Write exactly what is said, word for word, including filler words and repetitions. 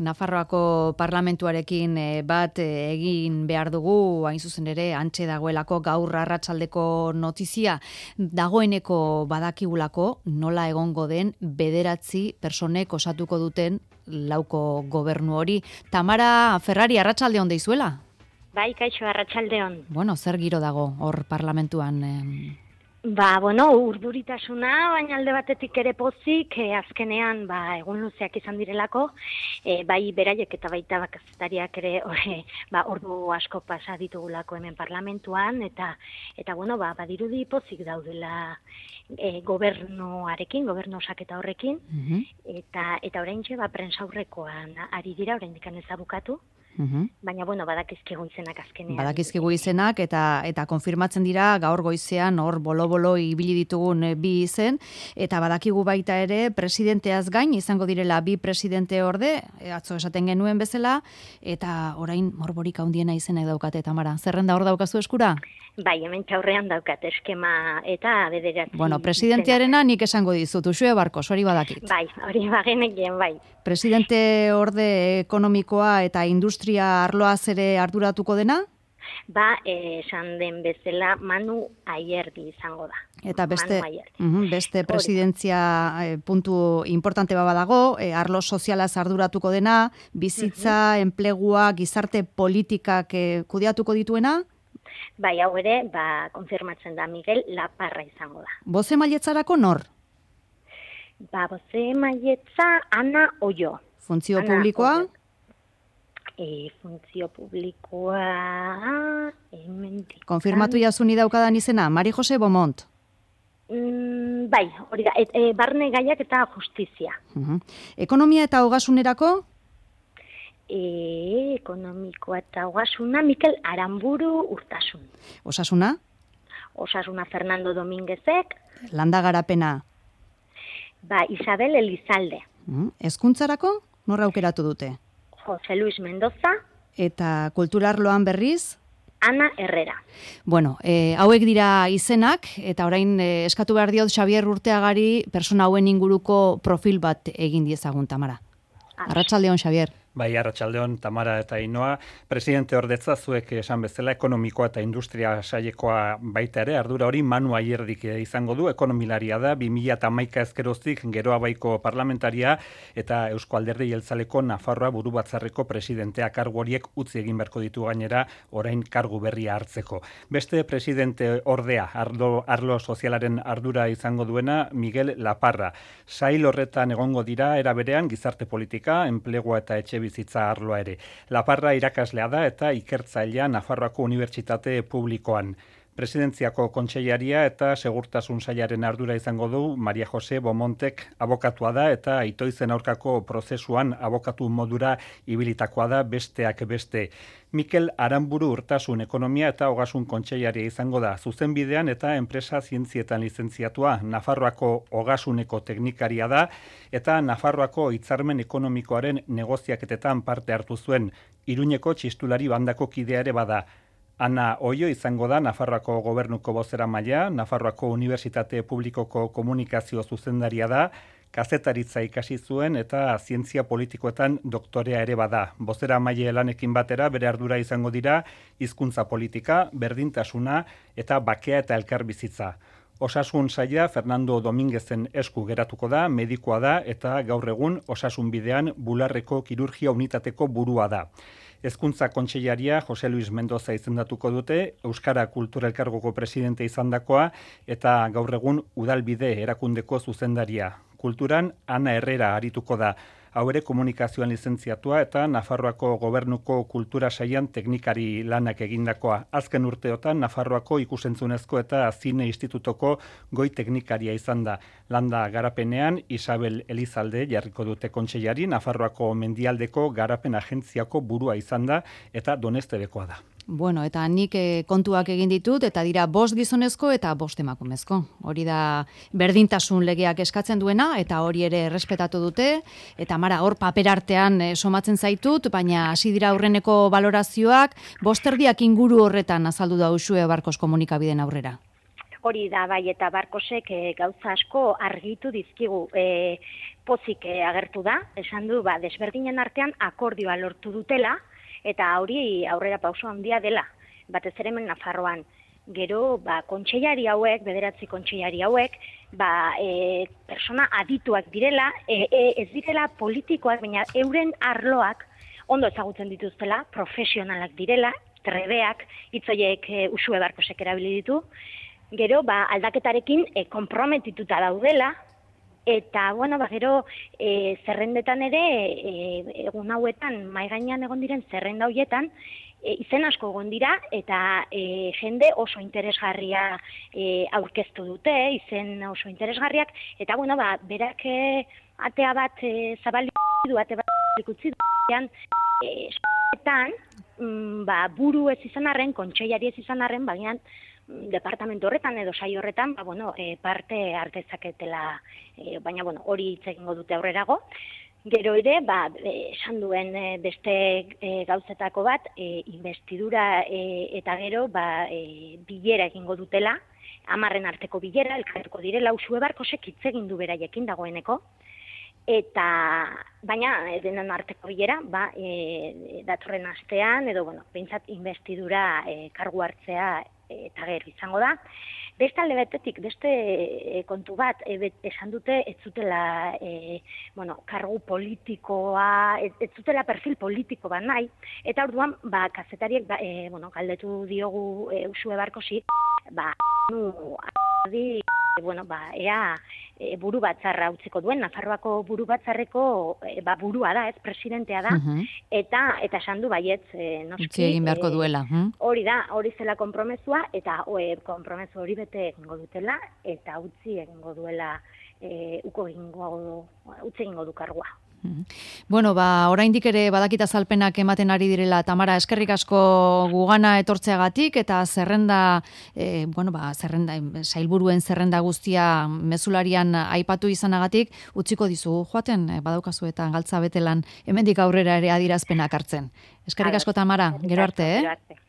Nafarroako parlamentuarekin bat egin behar dugu, hain zuzen ere, antxe dagoelako gaur arratsaldeko notizia. Dagoeneko badakigulako nola egongo den bederatzi personek osatuko duten lauko gobernu hori. Tamara Ferrari, arratsalde on deizuela? Bai, kaixo, arratsalde on. Bueno, zer giro dago hor parlamentuan? Eh... Ba, bueno, urduritasuna, baina alde batetik ere pozik, eh, azkenean, ba, egun luzeak izan direlako, eh, bai beraiek eta baita kazetariak ere, ore, ba, ordu asko pasa ditugulako hemen parlamentuan, eta, eta bueno, ba, badirudi pozik daudela eh, gobernuarekin, gobernu osaketa horrekin, uh-huh. eta, eta oraintxe, ba, prensaurrekoan ari dira, oraindik ez da bukatu. Uhum. Baina, bueno, badakizkigu izenak azkenean. Badakizkigu izenak eta eta konfirmatzen dira gaur goizean hor bolo-bolo ibili ditugun bi izen, eta badakigu baita ere presidenteaz gain izango direla bi presidente orde, atzo esaten genuen bezala, eta orain morborik handiena izenak daukate, Tamara. Zerrenda hor daukazu eskura? Bai, hemen txaurrean daukat eskema eta bederatzi. Bueno, presidentearena nik esango dizut, Uxue Barkos, hori badakit. Bai, hori bagenekien, bai. Presidente orde ekonomikoa eta industria arloaz ere arduratuko dena? Ba, esan den bezala Manu Ayerdi izango da. Eta beste, uh, beste presidentzia eh, puntu importante baba dago, eh, arlo sozialaz arduratuko dena, bizitza, uh-huh. enplegua, gizarte politikak eh, kudeatuko dituena? Bai, hau ere, ba, konfirmatzen da Miguel Laparra izango da. Boze mailetzarako nor? Ba, boze mailetza Ana Oio. Funtzio Ana publikoa? Oio. E, funtzio publikoa... Emendik. Konfirmatu jasuni daukadan izena, Mari Jose Beaumont. Mm, bai, hori da, et, e, barne gaiak eta justizia. Uh-huh. Ekonomia eta hogazunerako? E, ekonomikoa eta hogazuna, Mikel Aramburu Urtasun. Osasuna? Osasuna Fernando Dominguezek. Landa garapena? Ba, Isabel Elizalde. Uh-huh. Hezkuntzarako? Norra aukeratu dute? Jose Luis Mendoza. Eta kulturarloan berriz? Ana Herrera. Bueno, eh, hauek dira izenak, eta orain eh, eskatu behar diot Xabier Urteagari persona hauen inguruko profil bat egin diezagun, Tamara. Arratsaldeon, Xabier. Bai, arratsaldeon, Tamara eta Ainoa. Presidente ordetza zuek esan bezala ekonomikoa eta industria sailekoa baita ere, ardura hori Manu Ayerdik izango du, ekonomilaria da, bi mila hamaika ezkeroztik Geroa Baiko parlamentaria eta Eusko Alderdi Jeltzaleko Nafarroa buru batzarreko presidentea, kargu horiek utzi egin beharko ditu gainera, orain kargu berria hartzeko. Beste presidente ordea, arlo, arlo sozialaren ardura izango duena, Miguel Laparra. Sail horretan egongo dira, era berean, gizarte politika, enplegua eta etxe bizitza arloa ere. Laparra irakaslea da eta ikertzailea Nafarroako Unibertsitate Publikoan. Presidentziako kontseilaria eta segurtasun sailaren ardura izango du Maria Jose Beaumontek abokatua da eta itoizen aurkako prozesuan abokatu modura ibilitakoa da besteak beste. Mikel Aramburu Urtasun ekonomia eta ogasun kontseilaria izango da zuzenbidean eta enpresa zientzietan lizentziatua, Nafarroako ogasuneko teknikaria da eta Nafarroako hitzarmen ekonomikoaren negoziaketetan parte hartu zuen. Iruñeko txistulari bandako kidea ere bada. Ana Oio izango da Nafarroako gobernuko bozeramailea, Nafarroako Unibertsitate Publikoko komunikazio zuzendaria da, kazetaritza ikasi zuen eta zientzia politikoetan doktorea ere bada. Bozeramaile lanekin batera bere ardura izango dira hizkuntza politika, berdintasuna eta bakea eta elkarbizitza. Osasun saila Fernando Dominguezen esku geratuko da, medikoa da eta gaur egun osasun bidean bularreko kirurgia unitateko burua da. Hezkuntza kontseilaria Jose Luis Mendoza izendatuko dute, Euskara Kultura Elkargoko presidente izandakoa eta gaur egun Udalbide erakundeko zuzendaria. Kulturan Ana Herrera arituko da. Hau ere komunikazioan lizentziatua eta Nafarroako gobernuko kultura sailan teknikari lanak egindakoa. Azken urteotan Nafarroako ikusentzunezko eta zine institutoko goi teknikaria izan da. Landa garapenean Isabel Elizalde jarriko dute kontseilari, Nafarroako mendialdeko garapen agentziako burua izan da eta donestebekoa da. Bueno, eta nik eh, kontuak egin ditut, eta dira bost gizonezko eta bost emakumezko. Hori da berdintasun legeak eskatzen duena, eta hori ere errespetatu dute, eta mara, hor paper artean eh, somatzen zaitut, baina hasi dira aurreneko balorazioak, bosterdiak inguru horretan azaldu da Uxue Barkos komunikabideen aurrera. Hori da, bai, eta Barkosek e, gauza asko argitu dizkigu. E, pozik e, agertu da, esan du, ba, desberdinen artean akordioa lortu dutela, eta hori aurrera pauso handia dela, batez ere hemen Nafarroan. Gero, ba, kontseilari hauek, bederatzi kontseilari hauek, ba, e, persona adituak direla, e, e, ez direla politikoak, baina euren arloak ondo ezagutzen dituztela, profesionalak direla, trebeak, hitzoiek e, Uxue Barkosek erabili ditu. Gero, ba, aldaketarekin e, konprometituta daudela, eta, bueno, ba, gero, e, zerrendetan ere, e, egun hauetan, mai gainean egon diren zerrenda hoietan, e, izen asko egon dira, eta e, jende oso interesgarria e, aurkeztu dute, izen oso interesgarriak, eta, bueno, ba, berak e, atea bat e, zabalik du, ate bat utzi du, e, etan, mm, ba, buru ez izan arren, kontseilari ez izan arren, baina, departamentu horretan edo saio horretan, ba, bueno, e, parte hartezaketela, e, baina bueno, hori hitz egingo dute aurrerago. Gero ere, ba, e, esan duen e, beste e, gauzetako bat, e, investidura e, eta gero ba, e, bilera egingo dutela, hamarren arteko bilera, elkartuko direla, Uxue Barkosek hitz egin du beraiekin dagoeneko, eta baina denen arteko bilera, ba, e, datorren astean, edo, bueno, behintzat investidura e, kargu hartzea eta gero izango da. Beste alde batetik, beste e, kontu bat, e, bet, esan dute, ez zutela, e, bueno, kargu politikoa, ez, ez zutela perfil politiko bat nahi, eta orduan, ba, kazetariek, ba, e, bueno, galdetu diogu e, Uxue Barkosi, ba, nu, adi, e, bueno, ba, ea e, buru batzarra utziko duen, Nafarroako buru batzarreko e, ba, burua da, ez, presidentea da, uh-huh. eta eta esan du baietz, e, noski. Utzi egin beharko duela. E, hori da, hori zela konpromezua, eta e, konpromezu hori bete egingo dutela, eta utzi egingo duela, e, uko egingo, utzi egingo du kargua. Bueno, ba, oraindik ere badakita azalpenak ematen ari direla, Tamara, eskerrik asko gugana etortzeagatik, eta zerrenda, e, bueno, ba, zerrenda, sailburuen zerrenda guztia mezularian aipatu izanagatik, utziko dizugu joaten, e, badaukazu eta galtza betelan, hemendik aurrera ere adierazpenak hartzen. Eskerrik asko, Tamara, gero arte, eh?